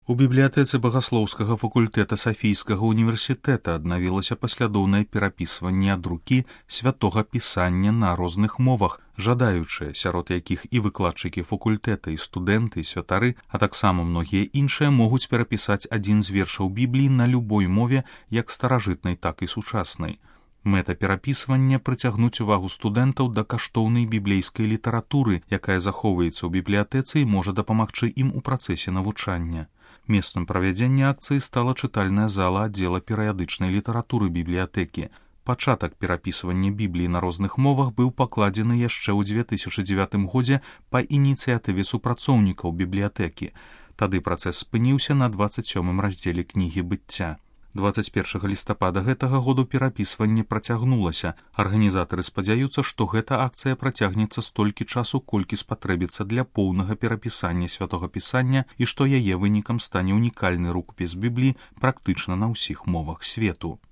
У бібліятэцы багаслоўскага факультэта Сафійскага універсітэта аднавілася паслядоўнае перапісванне ад рукі святога пісання на розных мовах, жадаючыя, сярод якіх і выкладчыкі факультэта, і студэнты, і святары, а таксама многія іншыя могуць перапісаць адзін з вершаў Бібліі на любой мове, як старажытнай, так і сучаснай. Мэта перапісвання прыцягнуць увагу студэнтаў да каштоўнай біблейскай літаратуры, якая захоўваецца ў бібліятэцы і можа дапамагчы ім у працэсе навучання. Месцам правядзення акцыі стала чытальная зала аддзела перыядычнай літаратуры бібліятэкі. Пачатак перапісвання Бібліі на розных мовах быў пакладзены яшчэ ў 2009 годзе па ініцыятыве супрацоўнікаў бібліятэкі. Тады працэс спыніўся на 27-м раздзеле кнігі быцця. 21 лістапада гэтага году перапісванне працягнулася. Арганізатары спадзяюцца, што гэта акцыя працягнецца столькі часу, колькі спатрэбіцца для поўнага перапісання святога пісання і што яе вынікам стане унікальны рукапіс Бібліі практычна на ўсіх мовах свету.